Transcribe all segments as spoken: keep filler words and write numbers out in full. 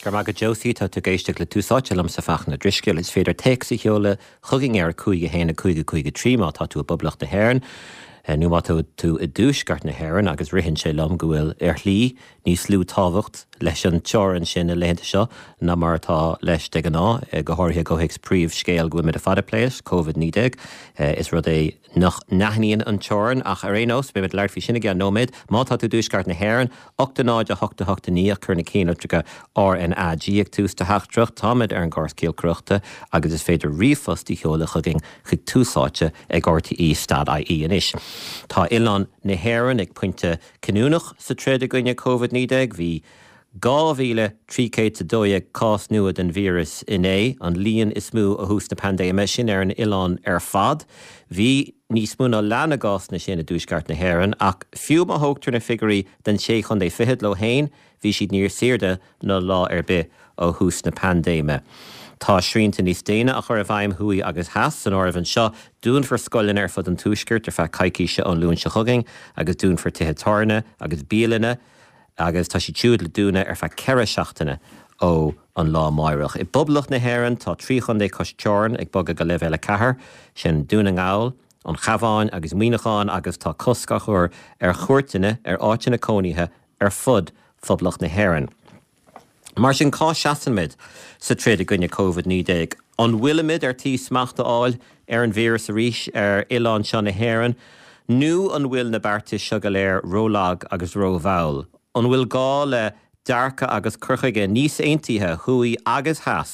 Go raibh maith agat Josie tá tú ag éisteacht le Tús Áite liomsa Fachtna Ó Drisceoil is féidir téacs a sheoladh chugainn ar cúig a haon a cúig a cúig a trí má tá tú i bPoblacht na hÉireann. nó má tá tú i dtuaisceart na hÉireann agus ritheann sé liom go bhfuil ar shlí níos lú tábhacht leis an teorainn sin na laethanta seo ná mar atá leis de ghnáth go háirithe go héics príomhscéal go bhfuil muid ag plé Covid naoi déag is rud é nach n-aithníonn an teorainn ach ar aon nós beimid ag labhairt faoi sin i gceann nóiméad má tá tú i dtuaisceart na hÉireann, ocht a náid a hocht a hocht a naoi ach cuir na cinnlitreacha RNAG ag tús do theachtaireacht táimid ar an gcóras giolcaireachta agus is féidir ríomhphost a sheoladh chugainn chuig Tús Áite ag RTE dot IE anois. Tá oileán na hÉireann ag pointe cinniúnach sa troid i gcoinne Covid naoi déag. Bhí dhá mhíle trí chéad is a dó dhéag cás nua den víreas inné, an líon is mó ó thús na paindéime, sin ar an oileán ar fad. Bhí níos mó ná leath na gcásanna sin i dtuaisceart na hÉireann, ach fiú má thógtar na figiúirí den sé chontae fichead leo féin, bhí siad níos airde ná lá ar bith ó thús na paindéime. Tá srianta níos déine á chur i bhfeidhm thuaidh agus theas san áireamh anseo. Dúnfar scoileanna ar fud an tuaiscirt ar feadh coicíse ón Luan seo chugainn agus dúnfar tithe tábhairne agus bialanna agus tá siad siúd le dúnadh ar feadh ceithre seachtaine ó an lá amárach. I bPoblacht na hÉireann tá trí chontae cois teorann ag bogadh go leibhéal a ceathair, sin Dún na nGall, an Chabhán agus Muineachán agus tá cosc á chur ar chuairteanna ar áiteanna cónaithe ar fud Phoblacht na hÉireann. Mar sin cá seasaimid sa troid i gcoinne Covid naoi déag? An bhfuilimid ar tí smacht a fháil ar an víreas arís ar oileán seo na hÉireann? Nó an bhfuil na beartais seo go léir rólag agus rómhall? An bhfuil gá le dearcadh agus cur chuige níos aontaithe thuaidh agus theas?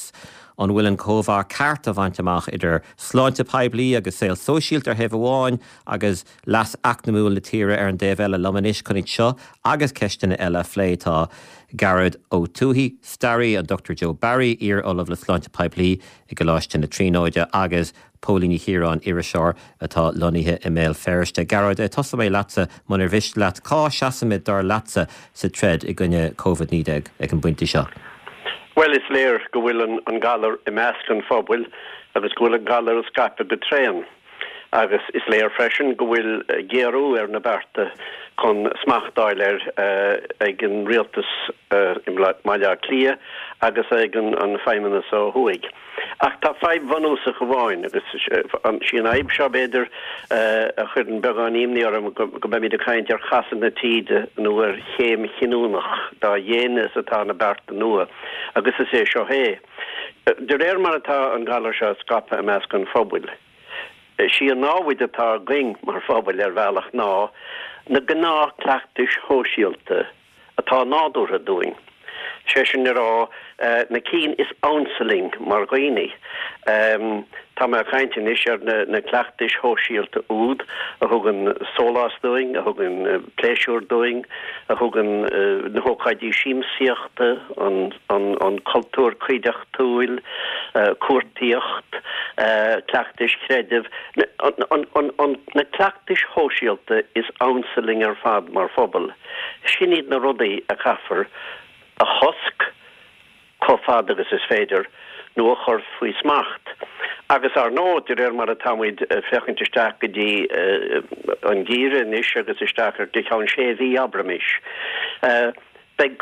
An bhfuil an cóimheá ceart á bhaint amach idir sláinte poiblí agus saol sóisialta ar thaobh amháin agus leas eacnamúil na tíre ar an dtaobh eile? Liom anois chun iad seo agus ceisteanna eile a phlé tá Gearóid Ó Tuathaigh, staraí, an Dochtúir Joe Barry, iar-ollamh le sláinte poiblí i gColáiste na Tríonóide agus Póilín Ní Chiaráin, iriseoir atá lonnaithe i mBéal Feirste. Gearóid, tosóidh mé leatsa munar mhiste leat. Cá seasaimid dar leatsa sa troid i gcoinne Covid naoi déag ag an bpointe seo? Bhuel, is léir go bhfuil an, an galar i measc an phobail agus go bhfuil an galar ag scaipeadh go tréan. Agus is léir freisin go bhfuil géarú ar na bearta chun smacht a fháil air ag an rialtas i mBaile Átha Cliath agus ag an, an Feidhmeannas ó thuaidh. Ach tá fadhb bhunúsach amháin, agus sí an fhadhb seo b'fhéidir a chuireann beagán imní orm, go mbeimid ag caint ar chasadh na taoide nó ar chéim chinniúnach dá dhéine is atá na bearta nua, agus is é seo é. De réir mar atá an galar seo ag scaipeadh i measc an phobail, sí an námhaid atá againn mar phobal ar bhealach ná na gnáthchleachtais shóisialta atá nádúrtha dúinn, sé sin le rá, na cinn is ansa linn mar dhaoine. Tá mé ag caint anois ar na cleachtais shóisialta úd a thugann sólás dúinn, a thugann pléisiúr dúinn, a thugann na hócáidí siamsaíochta, an cultúr cuideachtúil, cuartaíocht, cleachtais chreidimh, na cleachtais shóisialta is ansa linn ar fad mar phobal. Sin iad na rudaí a chaithfear a chosc chomh fada agus is féidir, nó a chur faoi smacht. Agus ar ndóigh, de réir mar atá muid ag féachaint isteach go dtí an geimhreadh anois agus isteach ar go ceann sé mhí, abraimis, beidh,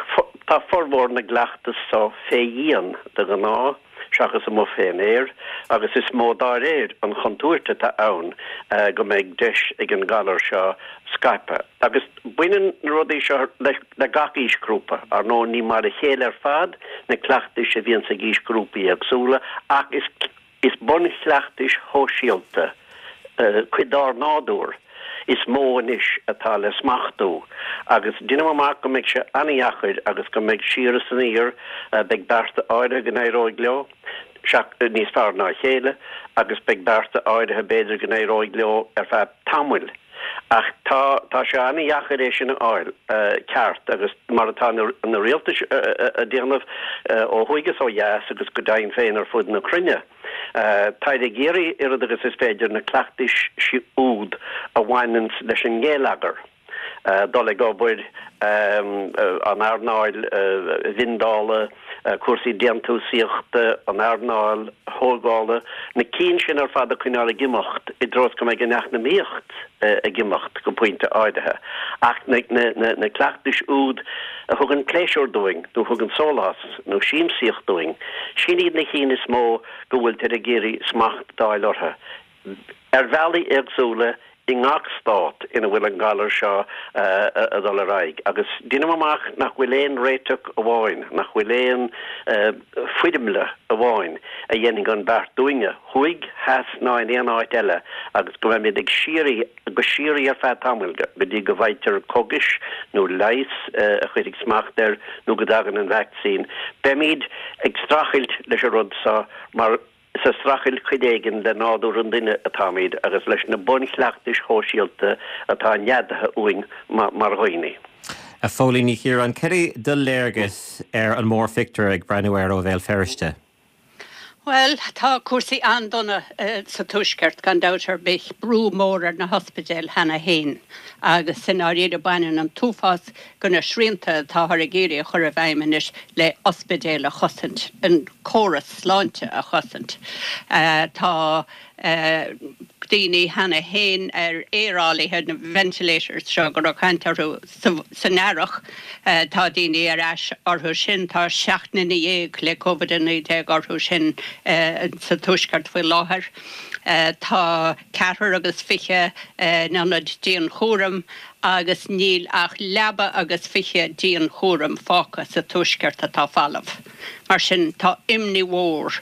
tá formhór na gcleachtas so fé dhíon de ghnáth, seachas amuigh fén aer, agus is mó dá réir an chontúirt atá ann go mbeidh deis ag an galar seo scaipeadh. Agus baineann na rudaí seo le gach aoisghrúpa. Ar ndóigh, ní mar a chéile ar fad na cleachtais a bhíonns ag aoisghrúpaí éagsúla, ach is is bunchleachtais shóisialta, cuid dár nádúr, is mó anois atá le smachtú. Agus deinim amach go mbeidh sé an-dheacair agus go mbeidh siar is aniar, beidh bearta áirithe go n-éireoidh leo níos fearr ná a chéile agus beidh bearta áirithe b'fhéidir go n-éireoidh leo ar feadh tamaill. Ach tá, tá sé an-dheacair é sin a fháil ceart agus mar atá na rialtais a déanamh ó thuaidh is ó dheas agus go deimhin féin ar fud na cruinne. Táid ag iarraidh oiread agus is féidir na cleachtais úd a bhaineanns leis an ngeilleagar dul ag obair, an earnáil bhindeála, cúrsaí déantúsaíochta, an earnáil thógála, na cinn sin ar fad a choinneáil ag imeacht i dtreo is go mbeidh an eacnamaíocht ag imeacht go pointe áirithe. Ach na cleachtais úd a thugann pléisiúr dúinn nó a thugann sólás nó siamsaíocht dúinn, sin iad na cinn is mó go bhfuiltear ag iarraidh smacht d'fháil orthu. Ar bhealaí éagsúla i ngach stát ina bhfuil an galar seo ag dul ar aghaidh. Agus deinim amach nach bhfuil aon réiteach amháin, nach bhfuil aon foirmle amháin a dhéanfaidh an beart dúinne, thuaidh, theas ná in aon áit eile, agus go mbeimid ag síoraí, go síoraí ar feadh tamaill, go dtí go bhfaightear cógais nó leigheas a chuirfidh smacht air nó go dtagann an vacsaín. Beimid ag streachailt leis an rud seo mar Is ag streachailt cuid éigin le nádúr an duine atáimid agus leis na bunchleachtais shóisialta atá neadaithe uainn mar dhaoine. A Phóilín Ní Chiaráin, cad é do léargas ar an mórphictiúr ag breathnú air ó Bhéal Feirste? Bhuel, tá cúrsaí an-dona sa Tuaisceart, gan dabht ar bith. Brú mór ar na hospidéil cheana féin agus i ndáiríre baineann an t-uafás de na srianta atáthar ag iarraidh a chur i bhfeidhm anois le ospidéil a chosaint, an córas sláinte a chosaint. Tá daoine cheana féin ar aerálaithe, na ventilators seo go raibh caint orthu san earrach, tá daoine ar ais orthu sin, tá seacht nduine dhéag le Covid a naoi déag orthu sin sa Tuaisceart faoi láthair. Tá ceathrar agus fiche in ionaid dianchúraim agus níl ach leaba agus fiche dianchúraim fágtha sa Tuaisceart atá folamh. Mar sin, tá imní mhór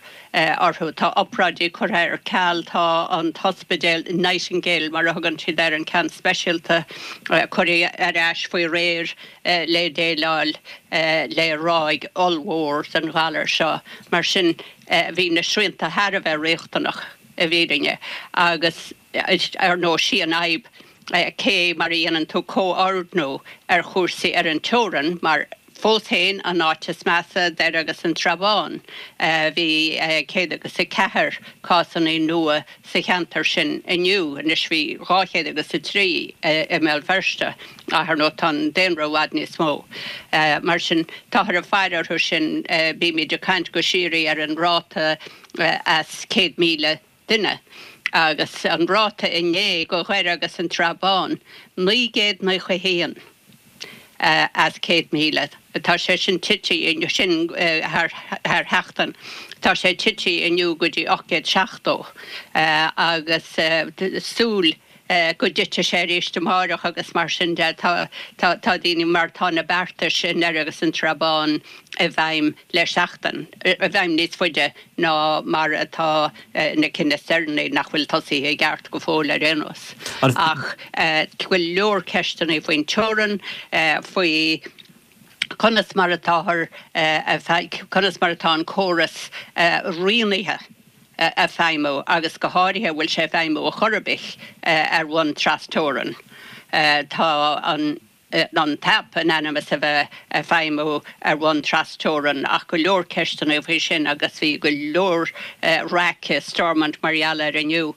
orthu. Tá obráidí curtha ar ceal, tá an t-ospidéal Nightingale, mar a thugann siad air, an ceann speisialta, curtha ar ais faoi réir le déileáil le ráig ollmhór den ghalar seo. Mar sin, bhí na srianta thar a bheith riachtanach i bhfírinne agus ar ndóigh sí an fhadhb cé mar a dhéanann tú comhordnú ar chúrsaí ar an teorainn mar fós féin an áit is measa, Doire agus an tSrath Bán. Bhí céad agus a ceathair cásanna nua sa cheantar sin inniu, anois bhí dhá chéad agus a trí i mBéal Feirste ach ar ndóigh tá an daonra i bhfad níos mó. Mar sin táthar ag faire orthu sin, bímid ag caint go síoraí ar an ráta as céad míle duine agus an ráta inné do Dhoire agus an tSrath Bán, naoi gcéad naocha a haon as céad míle. Tá sé sin tite inniu, sin thar sheachtain, tá sé tite inniu go dtí ocht gcéad seachtó agus súil go dtitfidh sé arís amáireach agus mar sin de. Tá daoine mar tá na beartais i nDoire agus an tSrath Bán i bhfeidhm le seachtain, i bhfeidhm níos faide ná mar atá na cinn is deireanaí nach bhfuil tosaithe i gceart go fóill ar aon nós. Ach go leor ceisteanna faoin teorainn, faoi conas mar atáthar, conas mar atá an córas rianaithe ag feidhmiú agus go háirithe an bhfuil sé ag feidhmiú ar chor ar bith ar bhonn trasteorann. Tá an an t-aip in ainm is a bheith ag feidhmiú ar bhonn trasteorann ach go leor ceisteanna faoi sin agus bhí go leor raic i Stormont mar gheall air inniu.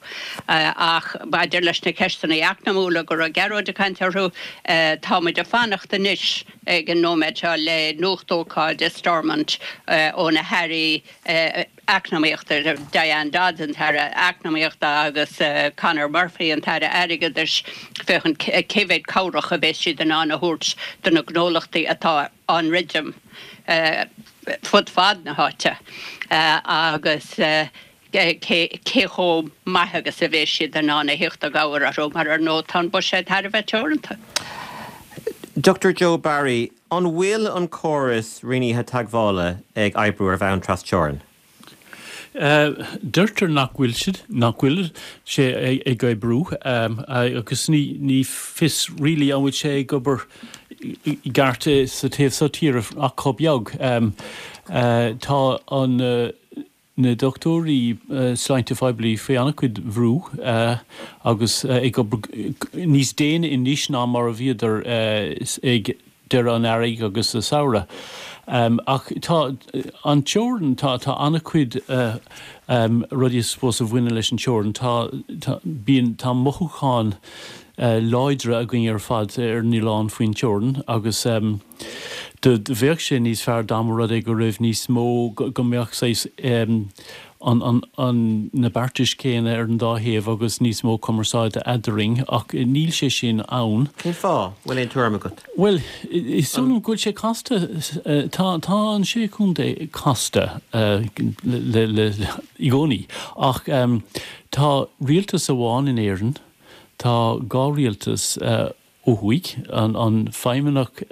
Ach maidir leis na ceisteanna eacnamúla go raibh Gearóid ag caint orthu, tá muid ag fanacht anois ag an nóiméad seo le nuachtócáid i Stormont ó na hairí Eacnamaíochta, Diane Dodds, an tAire Eacnamaíochta, agus Conor Murphy, an tAire Airgeadais, féachaint cé mhéad cabhrach a bheas siad in ann a thabhairt do na gnólachtaí atá á ndruidim fud fad na háite agus cé chomh maith agus a bheas siad in ann a theacht i gcabhair orthu, mar ar ndóigh tá an buiséad thar a bheith teoranta. Dochtúir Joe Barry, an bhfuil an córas rianaithe teagmhála ag oibriú ar bhonn trasteorann? Deirtear nach bhfuil siad, nach bhfuil sé ag oibriú agus ní fios really an bhfuil sé ag obair i gceart sa taobh seo tíre ach chomh beag. Tá an na dochtúirí sláinte phoiblí faoi an-chuid bhrú agus ag obair níos déine anois ná mar a bhíodar ag deireadh an earraigh agus sa samhradh. Ach tá an teorainn, tá tá an-chuid rudaí I suppose a bhaineann leis an teorainn. Tá tá bíonn tá mothúchán láidre againn ar fad ar an oileán faoin teorainn agus do bheadh sé níos fearr dá mba rud é go raibh níos mó go mbeadh saghas an an an na beartais céanna ar an dá thaobh agus níos mó cumarsáide eadrainn ach níl sé sin ann. Cén fáth? Bhfuil aon tuairim agat? Bhuel, is dóigh liom go bhfuil sé casta tá tá an sé chontae casta le le i gcónaí ach tá rialtas amháin in Éirinn, tá dhá rialtas ó thuaidh, an an feidhmeannach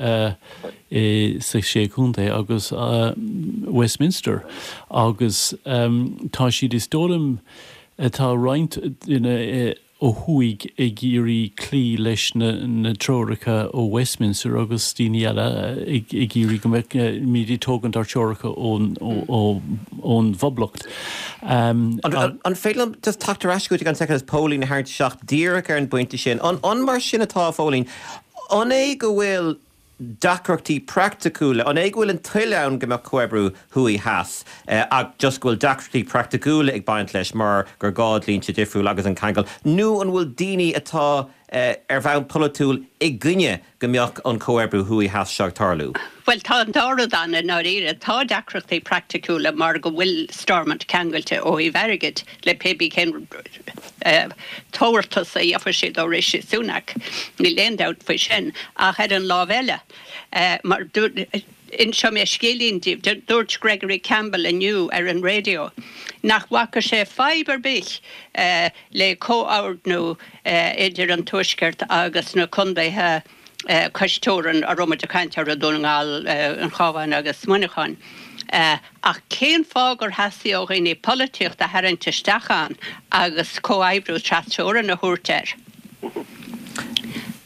sa sé chontae agus Westminster agus tá siad is dóigh liom tá roinnt duine ó thuaidh ag iarraidh cloí leis na na treoracha ó Westminster agus daoine eile ag ag iarraidh go mbeimid ag tógaint ár dtreoracha ón ón bPoblacht. An an féidir liom just teacht ar ais chugat gan soicind agus Póilín a tharraingt isteach díreach ar an bpointe sin? An an mar sin atá, a Phóilín? An é go bhfuil deacrachtaí praiticiúla, an é go bhfuil an toil ann go mbeadh comhoibriú thuaidh theas ach just go bhfuil deacrachtaí praiticiúla ag baint leis mar gur gá dlínse difriúil agus an ceangal, nó an bhfuil daoine atá ar bhonn polaitiúil i gcoinne go mbeadh an comhoibriú thuaidh theas seo ag tarlú? Bhuel, tá an dá rud ann i ndáiríre. Tá deacrachtaí praiticiúla mar go bhfuil Stormont ceangailte ó thaobh airgid le pé bí cén tabhartas a gheobhaidh siad ó Rishi Sunak. Níl aon dabht faoi sin. Ach ar an lámh eile, mar inseoidh mé scéilín daoibh, dúirt Gregory Campbell inniu ar an raidió nach bhfaca sé fadhb ar bith le comhordú idir an Tuaisceart agus na contaetha cois teorann a raibh muid ag caint orthu, Dún na nGall, an Cabhán agus Muineachán. Ach cén fáth gur theastaigh ó dhaoine polaitíocht a tharraingt isteach ann agus comhoibriú trasteorann a thabhairt air?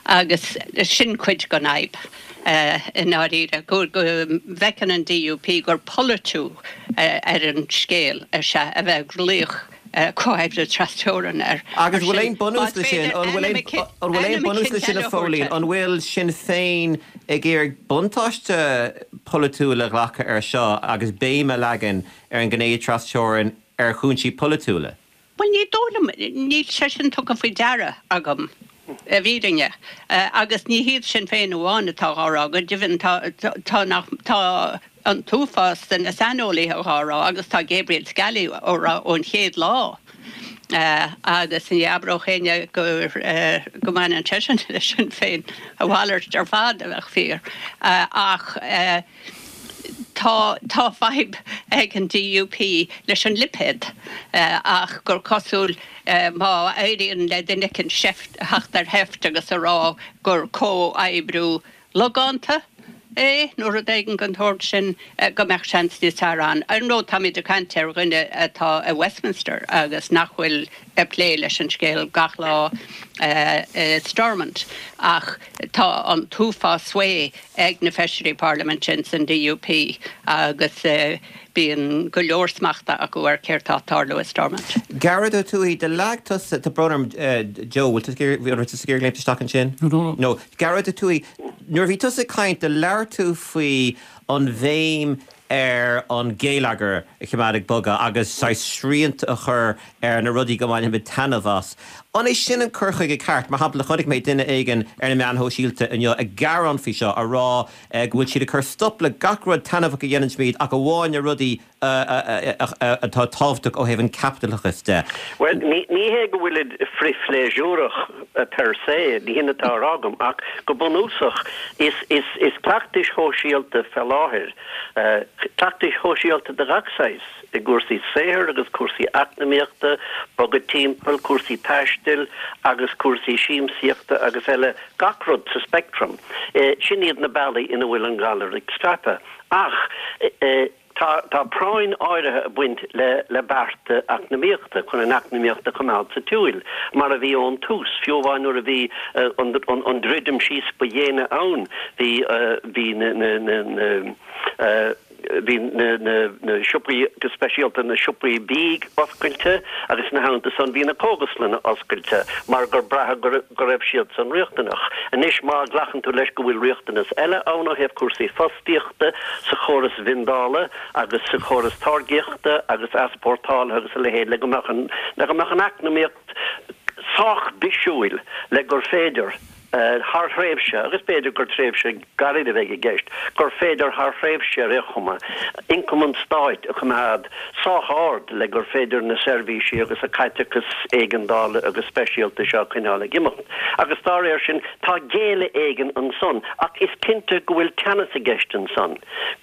Agus sin cuid den fhadhb i ndáiríre, go bhfeiceann an DUP gur polaitiú ar an scéal is ea a bheith ag glaoch comhoibriú trasteorann air. Agus an bhfuil aon bunús leis sin? An bhfuil aon an bhfuil aon bunús leis sin a Phóilín? An bhfuil Sinn Féin ag iarraidh buntáiste polaitiúil a ghlacadh ar seo agus béim a leagan ar an ghné trasteorann ar chúinsí polaitiúla? Bhuel, ní dóigh liom, níl sé sin tugtha faoi deara agam, i bhfírinne. Agus ní hiad Sinn Féin amháin atá á rá, go deimhin tá, tá nach, tá an t-uafás de na saineolaithe á rá agus tá Gabriel Scally á rá ón chéad lá. Agus ní abródh éinne go, go mbaineann seisean le Sinn Féin, a mhalairt ar fad a bheadh fíor. Ach. Tá tá fadhb ag an DUP leis an lipéad ach gur cosúil má éiríonn le duine éicint seift theacht ar sheift agus a rá gur comhoibriú logánta é nó rud éigin den tsórt sin go mbeadh seans níos fearr ann. Ar ndóigh táimid ag caint ar dhuine atá i Westminster agus nach bhfuil ag plé leis an scéal gach lá i Stormont ach tá an t-uafás sway ag na feisirí parlaiminte ins an DUP agus bíonn go leor smachta acu ar céard tá ag tarlú i Stormont. Gearóid Ó Tuathaigh, do leag tusa, tá brón orm, Joe, bhfuil tú ag iarraidh, an raibh tusa ag iarraidh léimt isteach ansin? No, no. No. Gearóid Ó Tuathaigh, nuair a bhí tusa ag caint, do labhair tú faoi an bhéim ar an gheilleagar a choimeád ag bogadh agus saghas srianta a chur ar na rudaí go mbainfimid taitneamh as. An é sin an cur chuige ceart? Mar shampla, chonaic mé duine éigin ar na meáin shóisialta inniu ag gearán faoi seo, a rá go bhfuil siad ag cur stop le gach rud taitneamhach a dhéanann ach amháin na rudaí atá tábhachtach ó thaobh an chaipitleachais de. Bhuel, ní hé go bhfuilid frithphléisiúrach per se, ní hin atá á rá agam, ach go bunúsach is cleachtais shóisialta fé láthair, cleachtais shóisialta de gach saghas, i gcúrsaí saothair agus cúrsaí eacnamaíochta, bogadh timpeall, cúrsaí taistil agus cúrsaí siamsaíochta agus eile, gach rud sa speictream. Sin iad na bealaí ina bhfuil an galar ag scaipeadh. Ach tá tá práinn áirithe ag baint le le bearta eacnamaíochta chun an eacnamaíocht a choimeád sa tsiúl, mar a bhí ón tús, fiú amháin nuair a bhí an an druidim síos ba dhéine ann, bhí bhí na na na na bhí na na na siopaí, go speisialta na siopaí bídh oscailte agus ina theannta san bhí na cógaslanna oscailte mar gur braitheadh go go raibh siad san riachtanach. Anois má ghlacann tú leis go bhfuil riachtanas eile ann ó thaobh cúrsaí fostaíochta sa chóras vendála agus sa chóras táirgíochta agus easpórtála agus a leithéid le go mbeadh an le go mbeadh an eacnamaíocht sách bisiúil le gur féidir thar thréimhse, agus b'fhéidir gur tréimhse gairid a bheidh i gceist, gur féidir thar thréimhse ar aon chuma, ioncam an stáit a choimeád sách ard le gur féidir na seirbhísí agus an caiteachas éigeandála agus speisialta seo a choinneáil ag imeacht. Agus dá réir sin, tá géilleadh éigin ansan, ach is cinnte go bhfuil teannas i gceist ansan,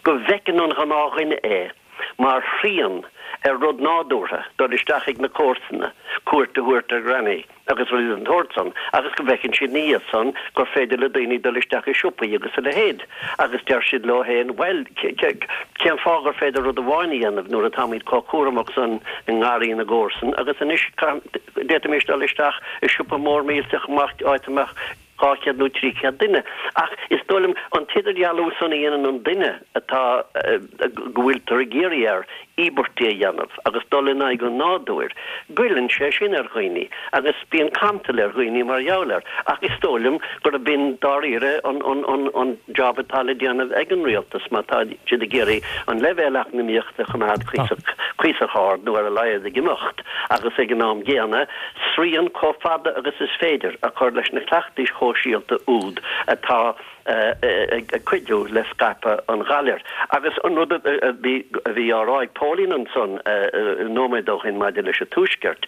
go bhfeiceann an gnáthdhuine é mar shrian ar rud nádúrtha, dul isteach ag na comharsana, cuairt a thabhairt ar Ghranny agus rudaí den tsórt san, agus go bhfeiceann siad ina dhiaidh san gur féidir le daoine dul isteach i siopaí agus a leithéid agus deir siad leo féin, bhuel, cén fáth gur féidir rud amháin a dhéanamh nuair atáimid chomh cúramach san i ngarraí na gcomharsan agus anois d'fhéadfaimis dul isteach i siopa mór millteach amach áit a mbeadh dhá chéad nó trí chéad duine. Ach is dóigh liom an t-idirdhealú san a dhéanann an duine atá, go bhfuiltear ag iarraidh air íobairtí a dhéanamh agus dul in aghaidh an nádúir, goilleann sé sin ar dhaoine agus bíonn cantal ar dhaoine mar gheall air. Ach is dóigh liom gurb in dáiríre an, an, an, an job atá le déanamh ag an rialtas má tá siad ag iarraidh an leibhéal eacnamaíochta a choimeád cuíosach, cuíosach ard nó ar a laghad ag imeacht agus ag an am gcéanna srian chomh fada agus is féidir a chur leis na cleachtais shóisialta úd atá ag cuidiú le scaipeadh an ghalair. Agus an rud a bhí á rá ag Póilín ansan nóiméad ó shin maidir leis an Tuaisceart,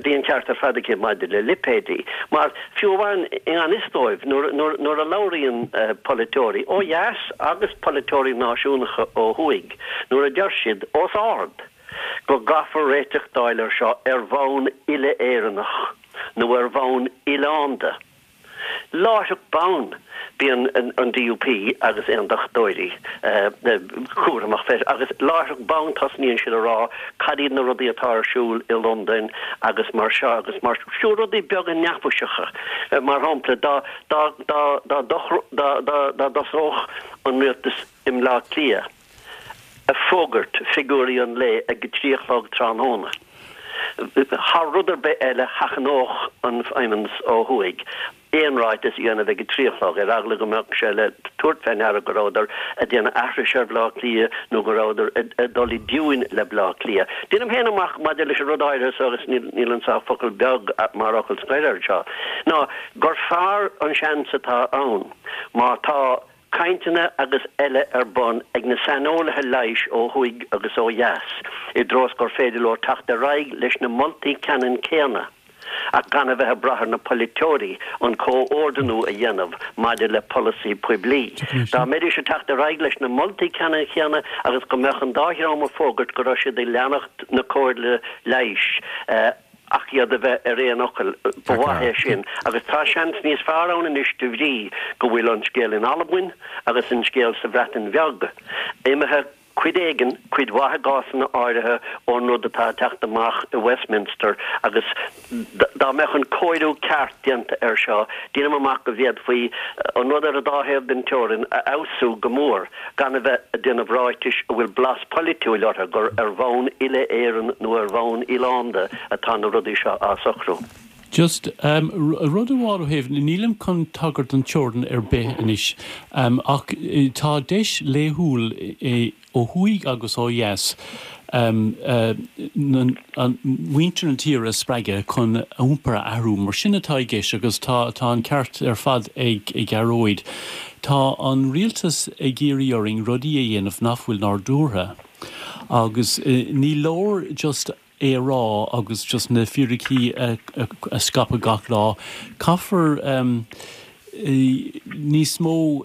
bhí an ceart ar fad aici maidir le lipéidí. Mar fiú amháin i ngan fhios dóibh, nuair a labhraíonn polaiteoirí ó dheas agus polaiteoirí náisiúnacha ó thuaidh, nuair a deir siad os ard go gcaithfear réiteach d'fháil air seo ar bhonn uile-Éireannach nó ar bhonn oileánda, Láithreach bonn, bíonn an D U P agus aondachtóirí cúramach freisin, agus láithreach bonn tosnaíonn siad a rá cad iad na rudaí atá ar siúl i Londain agus mar seo agus mar fiú rudaí beaga neafaiseacha, mar shampla dá dá dá dá dá dá dá dtosódh an rialtas i mBleá Cliath ag fógairt figiúirí an lae ag a trí a chlog tráthnóna. Thar rud ar bith eile, sheachnódh an Feidhmeannas ó thuaidh aon ráiteas a dhéanamh ag a trí a chlog, ar eagla go mbeadh sé le tabhairt fé ndeara go rabhadar ag déanamh aithris ar Bhleá Cliath nó go rabhadar ag dul i dtiúin le Bleá Cliath. Déanaim féin amach maidir leis an rud áirithe seo, agus níl anso ach focal beag mar fhocal scoir air seo, ná gur fearr an seans atá ann má tá cainteanna agus eile ar bun ag na saineolaithe leighis ó thuaidh agus ó dheas i dtreo is gur féidir leo teacht ar aghaidh leis na moltaí ceannann céanna ach gan a bheith ag brath ar na polaiteoirí an comhordnú a dhéanamh maidir le polasaí poiblí. Dá mbeidís ag teacht ar aghaidh leis na moltaí ceannann céanna agus go mbeadh an dá dhream ag fógairt go raibh siad ag leanacht na comhairle leighis, ach iad a bheith ar aon fhocal, ba mhaith é sin. Agus tá seans níos fearr ann anois de bhrí go bhfuil an scéal in Albain agus an scéal sa Bhreatain Bheag imithe cuid éigin, cuid mhaith i gcásanna áirithe, ón rud atá ag teacht amach i Westminster agus dá mbeadh an cóiriú ceart déanta air seo, déanaim amach go bhféadfaí an rud ar an dá thaobh den teorainn a fheabhsú go mór. gan a bheith ag déanamh ráitis a bhfuil blas polaitiúil orthu gur ar bhonn uile-Éireann nó ar bhonn oileánda atá na rudaí seo á socrú. Just rud amháin ó thaobh, nílim chun tagairt don teorainn ar bith anois, ach tá deis laethúil ó thuaidh agus ó dheas muintir na tíre a spreagadh chun a iompar a athrú, mar sin atá i gceist agus tá tá an ceart ar fad ag Gearóid. Tá an rialtas ag iarraidh orainn rudaí a dhéanamh nach bhfuil nádúrtha agus ní leor just é a rá agus just na fíricí a scaipeadh gach lá. Caithfear níos mó,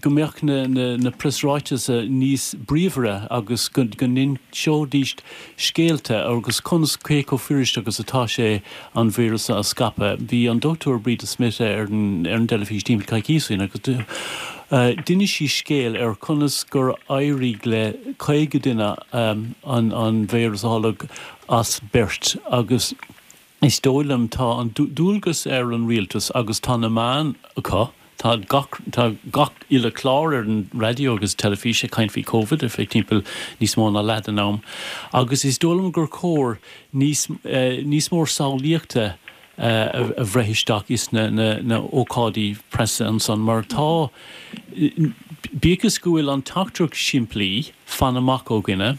go mbeadh na preasráitis níos bríomhaire agus go n-inseoidís scéalta agus conas, cé chomh fuirist agus atá sé an víreas a scaipeadh. Bhí an Dochtúir Breda Smith ar an dteilifís timpeall coicíos ó shin agus d'inis sí scéal ar conas gur éirigh le caoga duine an víreas a tholg as beirt agus is dóigh liom tá an dualgas ar an rialtas agus tá na meáin acu, tá gach, tá gach uile chlár ar an raidió agus teilifís ag caint faoi Covid ar feadh timpeall níos mó ná leath den am agus is dóigh liom gur chóir níos, níos mó samhlaíochta a bhreith isteach is na, na, na ócáidí preasa ansan mar tá, bíodh is go bhfuil an teachtaireacht simplí, fan amach ó dhuine,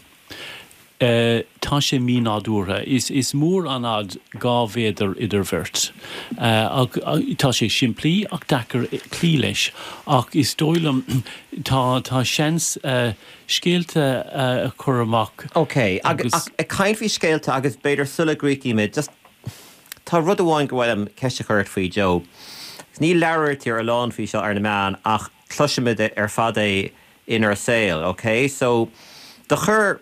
Tá sé mínádúrtha. Is is mór an fhad dhá mhéadar idir bheirt. Tá sé simplí ach deacair cloí leis ach is dóigh liom tá tá seans scéalta a chur amach. Ok, agus ag caint faoi scéalta agus b'fhéidir sula gcríochnaímid, just tá rud amháin gur mhaith liom ceist a chur ort faoi Joe. Ní labhraítear a lán faoi seo ar na meáin ach cloisimid ar fad é inár saol, ok? So do chuir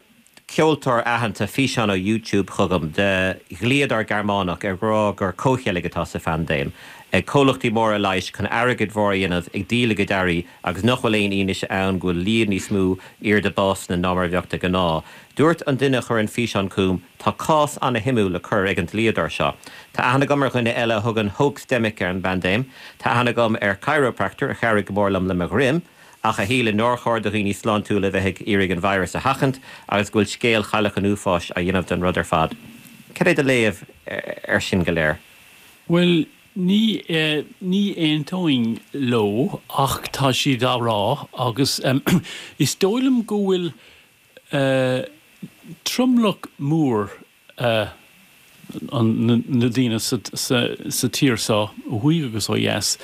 ceoltóir aitheanta físeán ó YouTube chugam de dhlíodóir Gearmánach ag rá gur comhcheilg atá sa phaindéim ag comhlachtaí móra leighis chun airgead mhór a dhéanamh ag díol a gcuid earraí agus nach bhfuil aon fhianaise ann go bhfuil líon níos mó airde básanna ná mar a bheadh de ghnáth. Dúirt an duine a chuir an físeán chugam, Tá cás ana-shuimiúil le cur ag an dlíodóir seo. Tá aithne agam ar dhuine eile a thugann hoaxdemic ar an bpaindéim. Tá aithne agam ar chiropractor a chabhraigh go mór liom le mo dhroim, ach a shíleann nár chóir do dhaoine sláintiúla a bheith ag iarraidh an virus a sheachaint agus go bhfuil scéal Chailleach an Uafáis á dhéanamh den rud ar fad. Cad é do léamh air sin go léir? Bhuel, ní ní aontóinn leo ach tá siad á rá agus is dóigh liom go bhfuil tromlach mór na daoine sa tír seo, ó thuaidh agus ó dheas,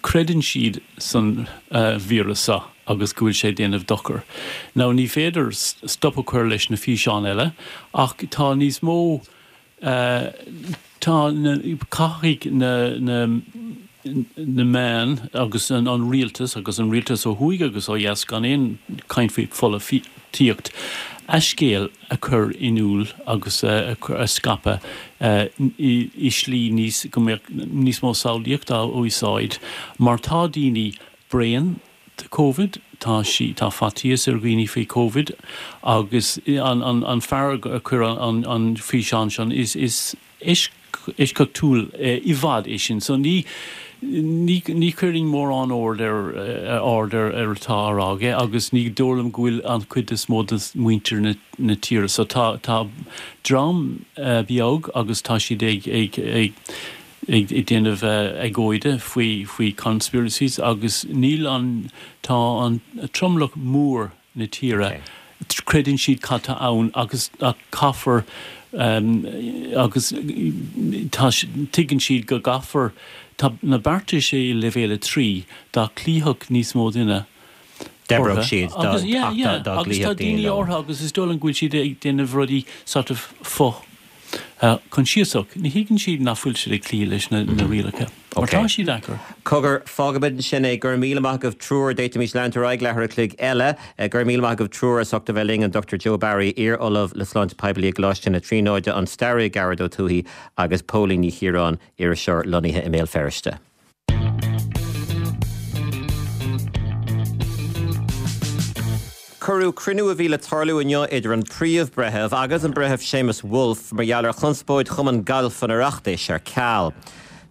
creideann siad san víreas seo agus go bhfuil sé ag déanamh dochar. Now ní féidir stop a chur leis na físeáin eile ach tá níos mó, tá na, caithfidh na, na, na meáin agus an rialtas agus an rialtas ó thuaidh agus ó dheas gan aon chaint faoi pholaitíocht a scéal a chur in iúl agus a scaipeadh i slí níos go mbeadh níos mó samhlaíocht á úsáid mar tá daoine bréan de Covid, tá sí tá faitíos ar dhaoine faoi Covid agus an an an fear a chuir an an físeán sin is is eisceachtúil i bhfad é sin. So ní ní ní chuirfinn mórán aird ar aird ar ar atá á rá aige agus ní dóigh liom go bhfuil an chuid is mó de mhuintir na na tíre. So tá tá dream beag agus tá siad ag ag ag ag ag déanamh agóide faoi faoi conspiracies agus níl an tá an tromlach mór na tíre creideann siad cad tá ann agus caithfear agus tá tuigeann siad go gcaithfear tá na beartais i leibhéal a trí dá gcloífeadh níos mó duine D'oibreodh siad dá agus yeah yeah dá agus tá gcloífeadh daoine daoine leo. orthu agus is dóigh liom go bhfuil siad ag déanamh rudaí sort of fo Coinsiasach, ní thuigeann siad nach bhfuil siad ag cloí leis na rialacha, mar tá siad deacair. Cogar, fágfaimid ansin é. Go raibh míle maith agaibh triúr. D'fhéadfaimis leanúint ar aghaidh leathuair a chloig eile. Go raibh míle maith agaibh triúr as ucht a bheith linn, an Dochtúir Joe Barry, iar-ollamh le Sláinte Poiblí i gColáiste na Tríonóide, an staraí Gearóid Ó Tuathaigh agus Póilín Ní Chiaráin, iriseoir lonnaithe i mBéal Feirste. Cuireadh cruinniú a bhí le tarlú inniu idir an Príomh-Bhreitheamh agus an Breitheamh Séamus Woulfe mar gheall ar chonspóid Chumann Gailf an Oireachtais ar ceal.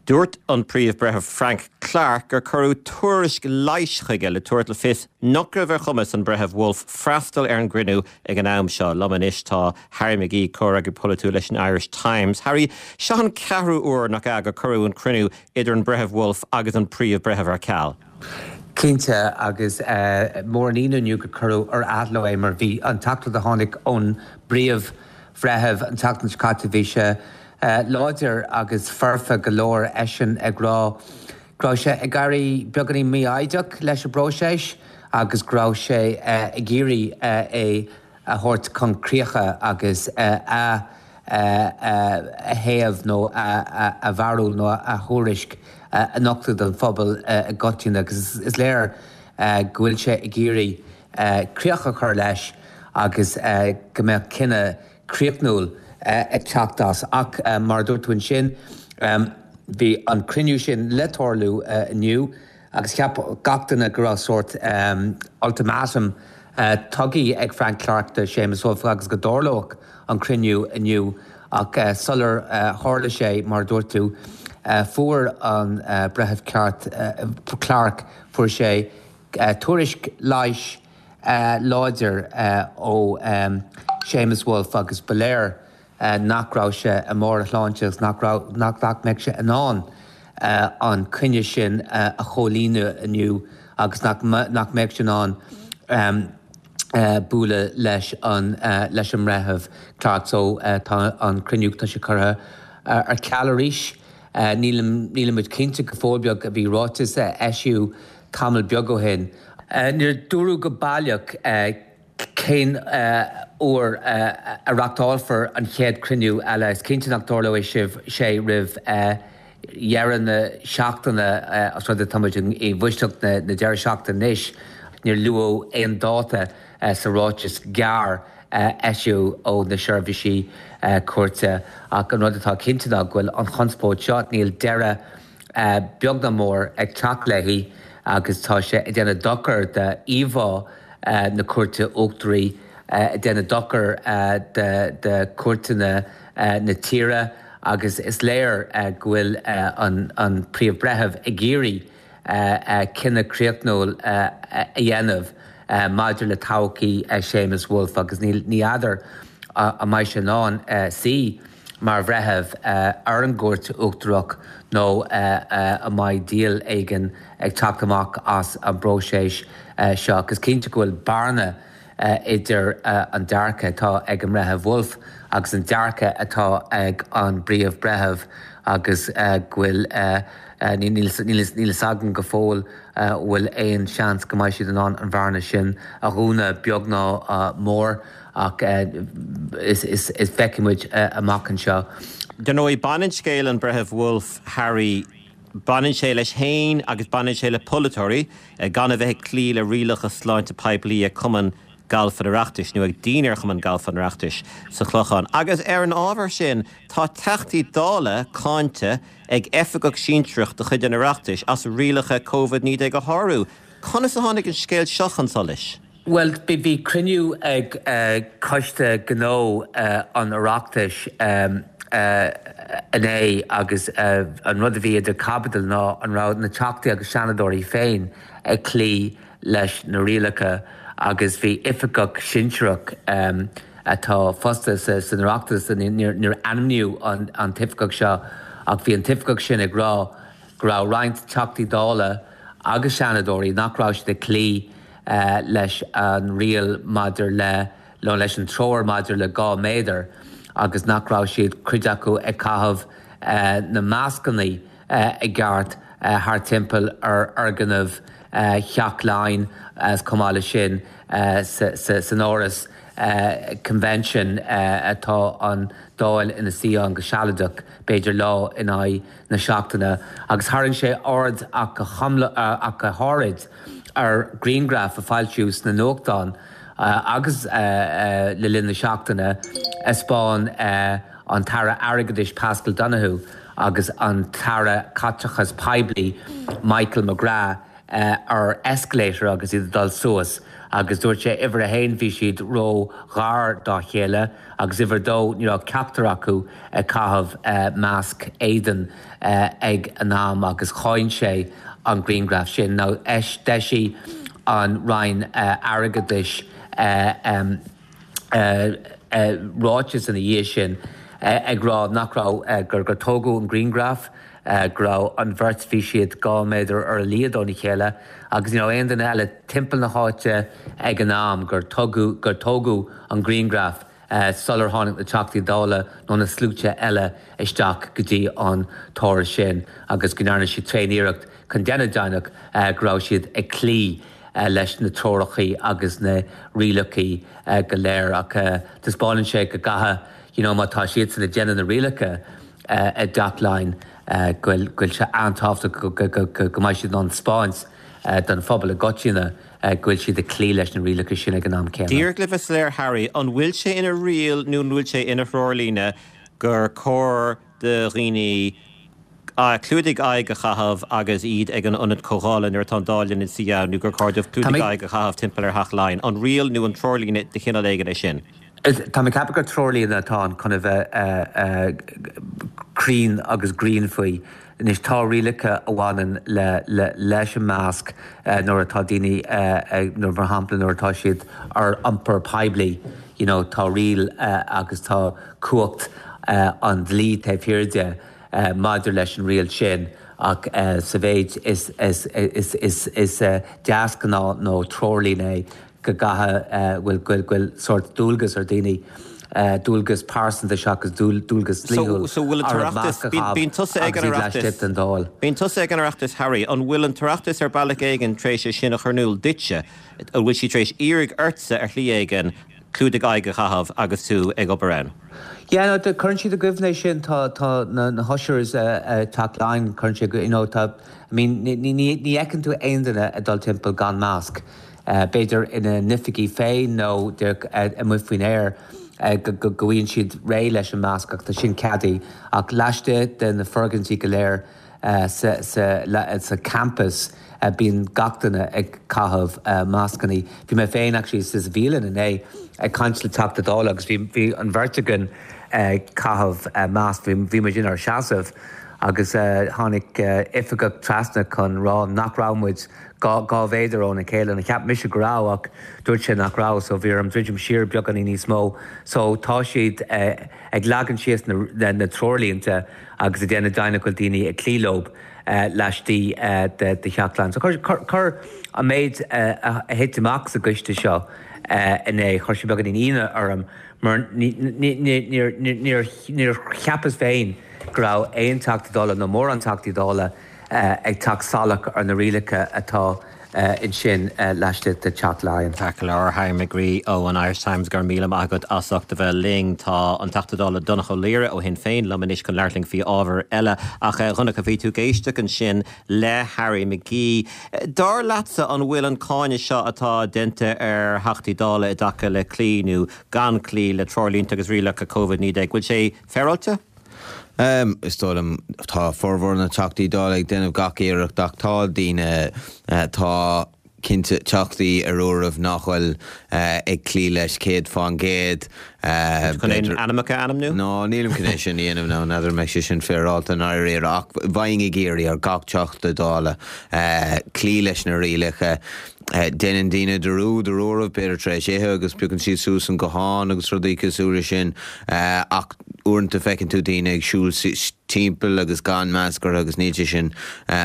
Dúirt an Príomh-Bhreitheamh Frank Clarke gur cuireadh tuairisc leighis chuige le tabhairt le fios nach raibh ar chumas an Bhreithimh Woulfe freastal ar an gcruinniú ag an am seo. Liom anois tá Harry McGee, comhfhreagraí polaitiúil leis an Irish Times. Harry, seo an ceathrú uair, nach ea, gur cuireadh an cruinniú idir an Breitheamh Woulfe agus an Príomh-Bhreitheamh ar ceal. Cinnte, agus mór an ionadh inniu gur cuireadh ar athló é mar bhí an teachtaireacht a tháinig ón bPríomh-Bhreitheamh an tseachtain seo caite, bhí sé láidir agus foirfe go leor, eisean ag rá go raibh sé ag éirí beagáinín mífhoighdeach leis an bpróiseas agus go raibh sé ag iarraidh é a thabhairt chun críche agus a a thaobh nó a bharúil nó a thuairisc a nochtadh don phobal i gcoitinne agus is léir go bhfuil sé ag iarraidh críoch a chur leis agus go mbeadh cinneadh críochnúil ag teacht as. Ach mar a dúirt tú ansin, bhí an cruinniú sin le tarlú inniu agus cheap gach duine go raibh sórt ultimatum tugtha ag Frank Clarke do Séamus Woulfe agus go dtarlódh an cruinniú inniu ach sular tharla sé, mar a dúirt tú, fuair an Breitheamh Clarke, fuair sé tuairisc leighis láidir ó Séamus Woulfe agus ba léir nach raibh sé i mbarr a shláinte agus nach raibh, nach mbeadh sé in ann an coinne sin a chomhlíonadh inniu agus nach mbeadh sé in ann bualadh leis an leis an mBreitheamh Clarke so tá an cruinniú tá sé curtha ar ceal arís. Nílim nílimid cinnte go fóill beag a bhí ráiteas a eisíodh tamall beag ó shin. Níor dúradh go baileach cén uair a reáchtálfar an chéad chruinniú eile. Is cinnte nach dtarlóidh sibh sé roimh dheireadh na seachtaine os rud é táimid i bhfoisteacht na deireadh seachtaine anois. Níor luadh aon dáta sa ráiteas gearr a eisíodh ó na seirbhísí cúirte ach an rud atá cinnte ná go bhfuil an chonspóid seo, níl deireadh beag ná mór ag teacht léi agus tá sé ag déanamh dochar d'íomhá na Cúirte Uachtaraí, ag déanamh dochar do chúirteanna na tíre agus is léir go bhfuil an Príomh-Bhreitheamh ag iarraidh cinneadh críochnúil a dhéanamh maidir le todhchaí Séamus Woulfe agus ní fheadar an mbeidh sé in ann suí mar bhreitheamh ar an gCúirt Uachtarach nó an mbeidh díol éigin ag teacht amach as an bpróiseas seo. Ach is cinnte go bhfuil bearna idir an dearcadh atá ag an mBreitheamh Woulfe agus an dearcadh atá ag an bPríomh-Bhreitheamh agus go bhfuil níl a fhios agam go fóill an bhfuil aon seans go mbeidh siad in ann an bhearna sin a dhúnadh beag ná mór ach is feicfidh muid amach anseo. Dar ndóigh, baineann scéal an Bhreithimh Woulfe, Harry, baineann sé leis féin agus baineann sé le polaiteoirí gan a bheith ag cloí le rialacha sláinte poiblí ag Cumann Gailf an Oireachtais nó ag dinnéar Chumann Gailf an Oireachtais sa Chlochán. Agus ar an ábhar sin, tá Teachtaí Dála cáinte ag oifigeach sinsearach de chuid an Oireachtais as rialacha Covid naoi déag a shárú. Conas a tháinig an scéal seo chun solais? Bhuel, bhí cruinniú ag Coiste Gnó an Oireachtais inné agus an rud a bhí idir chaibidil ná an raibh na Teachtaí agus Seanadóirí féin ag cloí leis na rialacha agus bhí oifigeach sinsearach atá fostaithe san Oireachtas, níor ainmníodh an t-oifigeach seo ach bhí an t-oifigeach sin ag rá go raibh roinnt Teachtaí Dála agus Seanadóirí nach raibh siad ag cloí leis an riail maidir le, nó leis an treoir maidir le dhá méadar agus nach raibh siad, cuid acu, ag caitheamh na mascanna i gceart thar timpeall ar fhoirgneamh Theach Laighean agus chomh maith leis sin san áras Convention atá an Dáil ina suí ann go sealadach, b'fhéidir lá in aghaidh na seachtaine. Agus tharraing sé aird ach go háirid ar ghrianghraf a foilsíodh sna nuachtáin agus le linn na seachtaine a 'spáin an tAire Airgeadais Paschal Donohoe agus an tAire Caiteachais Poiblí Michael McGrath ar escalator agus iad ag dul suas agus dúirt sé uimhir a haon bhí siad ró-ghar dá chéile agus uimhir a dó ní raibh ceachtar acu ag caitheamh masc éadain ag an am agus cháin sé an grianghraf sin. Now d'eisigh an Roinn Airgeadais ráiteas ina dhiaidh sin ag rá nach raibh, gur tógadh an grianghraf, go raibh an bheirt, bhí siad dhá méadar ar a laghad óna chéile agus ní raibh aon duine eile timpeall na háite ag an am gur tugadh, gur tógadh an grianghraf sular tháinig na Teachtaí Dála nó na sluaite eile isteach go dtí an t-áras sin agus go ndearna siad tréan-iarracht chun déanamh deimhneach go raibh siad ag cloí leis na treorachaí agus na rialachaí go léir ach taispeánann sé go gcaithfidh you know má tá siadsan ag déanamh na rialacha i dTeach Laighean go bhfuil sé an-tábhachtach go mbeidh siad in ann 'spáint don phobal i gcoitinne go bhfuil siad ag cloí leis na rialacha sin ag an am céanna. Díreach le bheith soiléir Harry, an bhfuil sé ina riail nó an bhfuil sé ina threoirlíne gur cóir do dhaoine clúdaigh aghaidh a chaitheamh agus iad ag an ionad comhdhála nuair atá an Dáil ina suí ann nó gur cóir dóibh clúdaigh aghaidh a chaitheamh timpeall ar Theach Laighean? An riail nó an treoirlíne de chineál éigin é sin? Tá mé ag ceapadh gur treoirlíne atá ann chun a bheith cruinn agus grinn faoi. Anois tá rialacha a bhaineann le leis an masc nuair atá daoine nuair mar shampla nuair atá siad ar iompar poiblí you know tá riail agus tá cumhacht an dlí taobh thiar de maidir leis an riail sin ach sa mhéid is is is is is deasghnáth nó treoirlíne é go gcaithfidh, bhfuil, go bhfuil sórt dualgas ar daoine, dualgas pearsanta seachas dualgas dlíthiúil So bhfuil an orthu masc tOireachtas, a bíonn, chaitheamh bíonn tusa ag agus an iad Oireachtas, laistigh den Dáil. bíonn tusa ag an Oireachtas Harry, an bhfuil an tOireachtas ar bealach éigin tar éis é sin a chur in iúl duitse, an bhfuil siad tar éis iarraidh ortsa ar shlí éigin clúdaigh aghaidhe a chaitheamh agus tú ag obair ann? Yeah, no, cuireann siad i gcuimhne é sin, tá, tá na, na hushers ag Teach Laighean, cuireann siad, you know, tá, I mean, ní, ní, ní fheiceann tú aon duine ag dul timpeall gan masc, b'fhéidir ina n-oifigí féin nó amuigh faoin aer, go, go, go bhfaigheann siad réidh leis an masc ach tá sin ceadaithe ach laistigh de na foirgintí go léir sa, sa, sa campus bíonn gach duine ag caitheamh mascannaí. Bhí mé féin actually sa bhialann inné ag caint le Teachta Dála agus bhí bhí an bheirt againn ag caitheamh masc, bhí bhí muid inár seasamh agus tháinig oifigeach trasna chun rá nach raibh muid dhá dhá mhéadar óna chéile. Nó cheap mise go raibh ach dúirt sé nach raibh so bhí orm druidim siar beagáinín níos mó. So tá siad ag leagan síos na na treoirlínte agus ag déanamh deimhin go bhfuil daoine ag cloí leo laistigh de Theach Laighean. So chuir an méid a thit amach sa gcoiste seo inné, chuir sé beagáinín ionadh orm mar níor cheapas féin go raibh aon Teachta Dála nó mórán Teachtaí Dála ag teacht salach ar na rialacha atá ansin laistigh de Theach Laighean. Ceart go leor, Harry McGree ó an Irish Times, go raibh míle maith agat as ucht a bheith linn. Tá an Teachta Dála Donnchadh Ó Laoghaire ó Shinn Féin liom anois chun labhairt linn faoi ábhar eile. Ach a Dhonncha, bhí tú ag éisteacht ansin le Harry McGee. Dar leatsa an bhfuil an cáineadh seo atá déanta ar Theachtaí Dála i dtaca le cloí nó gan cloí le treoirlínte agus rialacha Covid naoi déag, bhfuil sé féaráilte? Um, is dóigh liom tá formhór na Teachtaí Dála ag déanamh gach iarracht ach tá daoine, tá cinnte teachtaí ar uairibh nach bhfuil ag cloí leis céad fán gcéad. Chun aon ainmneacha a ainmniú? No, nílim chun é sin a dhéanamh nó n'fheadar an mbeidh sé sin féaráilte i ndáiríre ach bheinn ag iarraidh ar gach Teachta Dála cloí leis na rialacha. Déanann daoine dearúd ar uairibh, b'fhéidir tar éis ithe agus piocann siad suas an guthán agus rudaí cosúil leis sin ach uaireanta feiceann tú daoine ag siúl timpeall agus gan masc orthu agus níl sé sin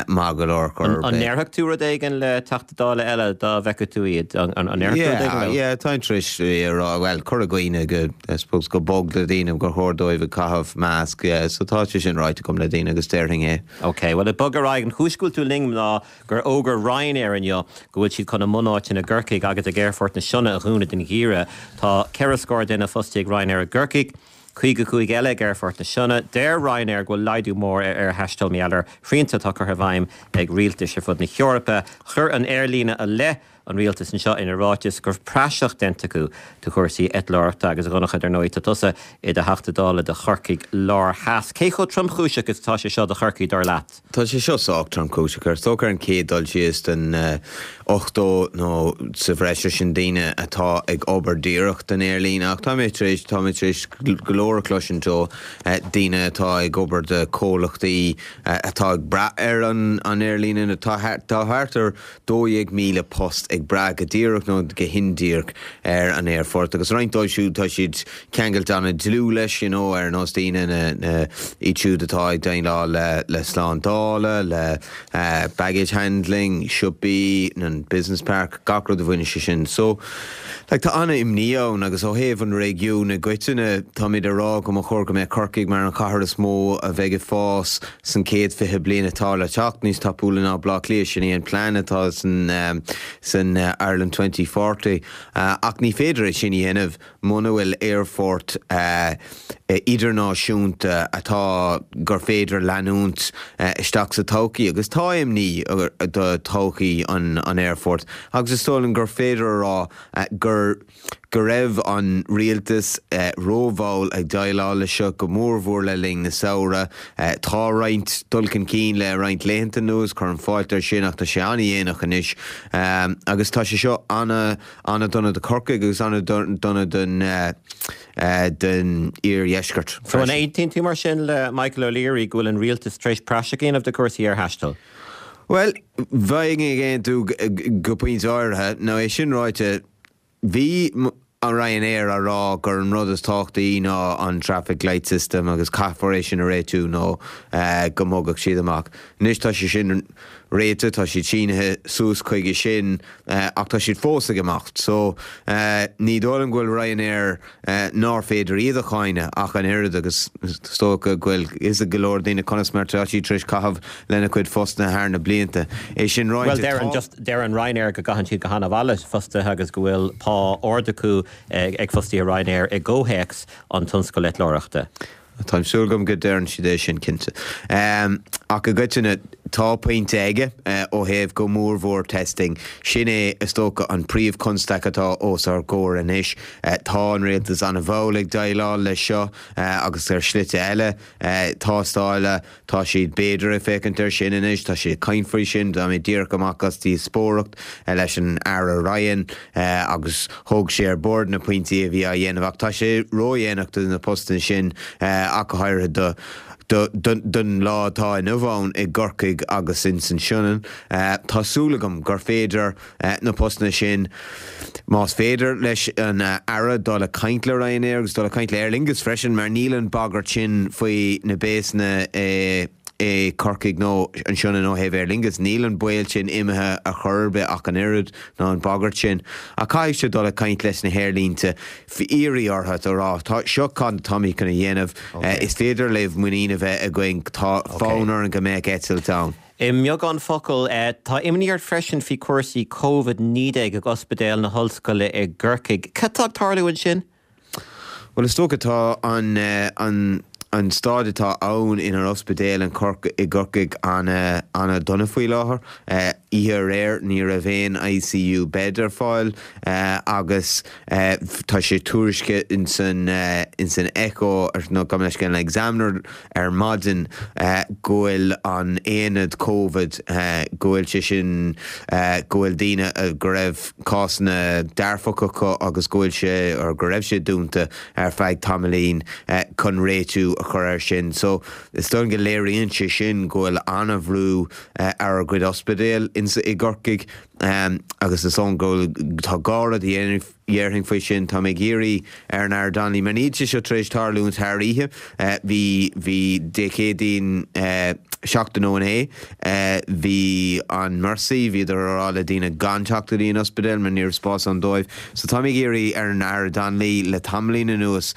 maith go leor chor ar An bith. ndéarfadh tú rud éigin le Teachta Dála eile dá bhfeicfeadh tú iad? An ndéarfadh tú rud éigin leo? Yeah, táim tar éis a rá, bhuel, cur i gcuimhne go, I suppose, go bog le daoine gur chóir dóibh ag caitheamh masc, yeah, so tá sé sin ráite agam le daoine agus déarfainn é. Ok, bhuel, ag bogadh ar aghaidh, an chúis go bhfuil tú linn ná gur fhógair Ryanair inniu go bhfuil siad chun a mbunáiteanna i gCorcaigh agus ag Aerfort na Sionna a dhúnadh don gheimhreadh. Tá ceithre scór duine fostaithe ag Ryanair i gCorcaigh, caoga cúig eile ag Aerfort na Sionna. Deir Ryanair go bhfuil laghdú mór ar aerthaisteal mar gheall ar shrianta atá curtha i bhfeidhm ag rialtais ar fud na hEorpa. Chuir an aerlíne i leith an rialtais anseo ina ráiteas go raibh praiseach déanta acu de chúrsaí eitleoireachta agus a Dhonncha, dar ndóigh, tá tusa i do Theachta Dála do Chorcaigh Lár Theas. Cé chomh tromchúiseach is atá sé seo do Chorcaigh, dar leat? Tá sé seo sách tromchúiseach. Is dócha ar an chéad dul síos den ochtó nó sa bhreis ar sin daoine atá ag obair díreach don aerlíne ach tá mé tar éis, tá mé tar éis go leor a chloisint ó daoine atá ag obair do chomhlachtaí atá ag brath ar an aerlíne. Tá thart ar dó dhéag míle post ag brath go díreach nó go hindíreach ar an aerfort agus roinnt dóibh siúd tá siad ceangailte an-dlúth leis, you know, ar nós daoine na, na, iad siúd atá ag déileáil le, le slándála, le uh, baggage handling, siopaí, an business park, gach rud a bhaineann sé sin. So, like, tá an-imní ann agus ó thaobh an réigiún i gcoitinne táimid ag rá go mba chóir go mbeadh Corcaigh mar an chathair is mó a bheidh ag fás san céad fiche bliain atá le teacht, níos tapúla ná Baile Átha Cliath, sin é an plean atá san, um, san uh, Ireland twenty forty. Uh, ach ní féidir é sin a dhéanamh muna bhfuil aerfort uh, idirnáisiúnta atá gur féidir leanúint uh, isteach sa todhchaí agus tá imní do todhchaí an, an aerfort agus is dóigh liom gur féidir a rá uh, gur go raibh an rialtas uh, rómhall ag déileáil leis seo go mórmhór le linn na samhradh. Uh, tá roinnt dul chun cinn le roinnt laethanta anuas, cuirim fáilte air sin ach tá sé an-dhéanach anois. Um, agus tá sé seo ana ana-dhona do Chorcaigh agus ana-dhona don uh, uh, don iardheisceart. So an aontaíonn tú mar sin le Michael O'Leary go bhfuil an rialtas tar éis praiseach a dhéanamh de chúrsaí aerthaistil? Well, bheinn ag aontú go pointe áirithe, nó é sin ráite, bhí an Ryanair á rá gur an rud is tábhachtaí ná an traffic light system agus caithfear é sin a réitiú nó go mbogfadh siad amach. Anois tá sé sin réitithe, tá siad sínithe suas chuige sin ach tá siad fós ag imeacht. So ní dóigh liom go bhfuil Ryanair nár féidir iad a cháineadh ach an oiread agus is dócha go bhfuil fhios ag go leor daoine conas mar atá siad tar éis caitheamh lena cuid fostaithe thar na blianta. É sin ráite, Bhuel, deireann tá. just deireann Ryanair go gcaitheann siad go han-mhaith le fostaithe agus go bhfuil pá ard acu ag fostaithe Ryanair i gcomhthéacs an tionscail eitleoireachta. Tá súil agam go deireann siad é sin cinnte. Ach i gcoitinne, tá pointe aige ó thaobh go mórmhór testing. Sin é is dócha an príomhchonstaic atá os ár gcomhair anois. Tá an rialtas an-mhall ag déileáil leis seo agus ar shlite eile tástála. Tá siad b'fhéidir ag féachaint air sin anois, tá siad ag caint faoi sin. Tá mé díreach amach as díospóireacht leis an Aire Ryan agus thóg sé ar bord na pointí a bhí á dhéanamh ach tá sé ródhéanach do na postanna sin ach go háirithe do don lá atá inniu ann i gCorcaigh agus ins an Sionainn. Tá súil agam gur féidir na postanna sin, más féidir leis an Aire dul ag caint le Ryanair agus dul ag caint le Aer Lingus freisin mar níl an bagairt sin faoi na béasanna i i Corcaigh nó an Sionainn ó thaobh Aer Lingus, níl an baol sin imithe ar chor ar bith ach an oiread, ná an bhagairt sin. Ach caithfidh sé dul ag caint leis na haerlínte, iarraidh orthu a rá, tá, seo cad atáimid chun a dhéanamh, is féidir libh muinín a bheith againn, tá fonn orainn go mbeadh eitilt ann. I mbeagán focal, tá imní ort freisin faoi chúrsaí Covid naoi déag ag Ospidéal na hOllscoile i gCorcaigh. Cad tá ag tarlú ansin? Bhuel, is dócha tá an an an staid atá ann inár ospidéal in Corc i gCorcaigh ana ana dona faoi láthair. Oíche aréir ní raibh aon ICU bed ar fáil agus tá sé tuairiscithe ins an ins an Echo nó gabh mo leithscéal an Examiner ar maidin go bhfuil an aonad Covid go bhfuil sé sin go bhfuil daoine go raibh cásanna dearfacha acu agus go bhfuil sé or go raibh sé dúnta ar feadh tamaillín chun réitiú a chur air sin. So is dóigh go léiríonn sé sin go bhfuil an-bhrú ar ár gcuid ospidéal ins i gCorcaigh agus is dóigh go bhfuil tá dhá rud a dhéanamh dhéarfainn faoi sin. Tá mé ag iarraidh ar an Aire Donnelly mar níl sé seo tar éis tarlúint thar oíche. Bhí bhí Dé Céadaoin seachtain ó inné bhí an Mercy, bhíodar ag rá le daoine gan teacht go dtí an ospidéal mar ní raibh spás ann dóibh. So tá mé ag iarraidh ar an Aire Donnelly le tamaillín anuas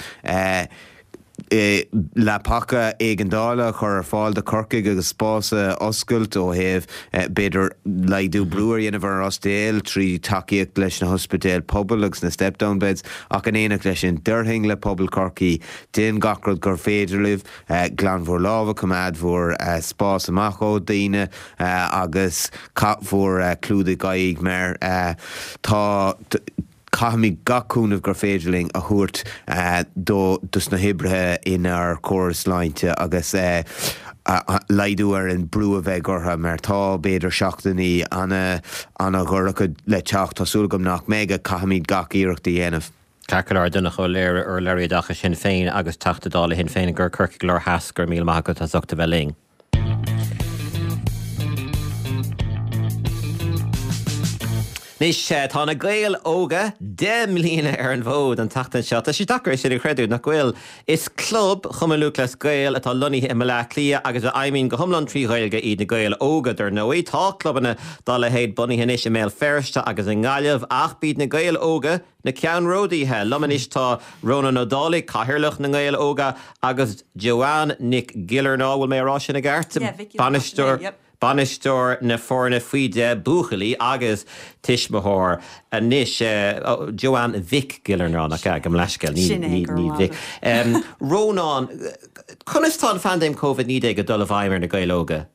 leapacha éigeandála a chur ar fáil do Chorcaigh agus spás a oscailt ó thaobh b'fhéidir laghdú brú a dhéanamh ar an ospidéal trí tacaíocht leis na hospidéil pobail agus na step down beds ach in éineacht leis sin déarfainn le pobal Chorcaí déan gach rud gur féidir libh glan bhur lámha coimeád bhur spás amach ó daoine agus caith bhur clúdaigh aghaidh mar tá Caithfimid gach cúnamh gur féidir linn a thabhairt do dos na hoibrithe inár córas sláinte agus laghdú ar an brú a bheidh orthu mar tá b'fhéidir seachtainí ana ana dhorcha le teacht. Tá súil agam nach mbeidh ach caithfimid gach iarracht a dhéanamh. Ceart go leor, Donncha Ó Laoghaire, urlabhraí i dtaca Sinn Féin agus Teachta Dála Shinn Féin i gCorcaigh Láir Theas, go raibh míle maith agat as ucht a bheith linn. Anois, tá na Gaeil Óga deich mbliana ar an bhfód an tseachtain seo. Tá sé deacair é sin a chreidiúint, nach bhfuil? Is club Chumann Lúthchleas Gael atá lonnaithe i mBaile Átha Cliath agus a fheidhmíonn go hiomlán trí Ghaeilge iad na Gaeil Óga, dar ndóigh. Tá clubanna dá leithéid bunaithe anois i mBéal Feirste agus i nGaillimh ach b'iad na Gaeil Óga na ceannródaithe. Liom anois tá Rónán Ó Dálaigh, Cathaoirleach na nGael Óga agus Joanne Nic Giollarnáth, bhfuil mé a rá sin i gceart? Yeah, Mhic Bainisteoir. Yep. Bainisteoir na foirne faoi deich, buachaillí, agus tuismitheoir anois, Joanne Mhic Giollarnáth, nach ea? Gabh mo leithscéal, ní Sin é, go raibh Mhic. maith agat. Rónán, conas tá an phaindéim Covid naoi déag ag dul i bhfeidhm ar na Gaeil Óga?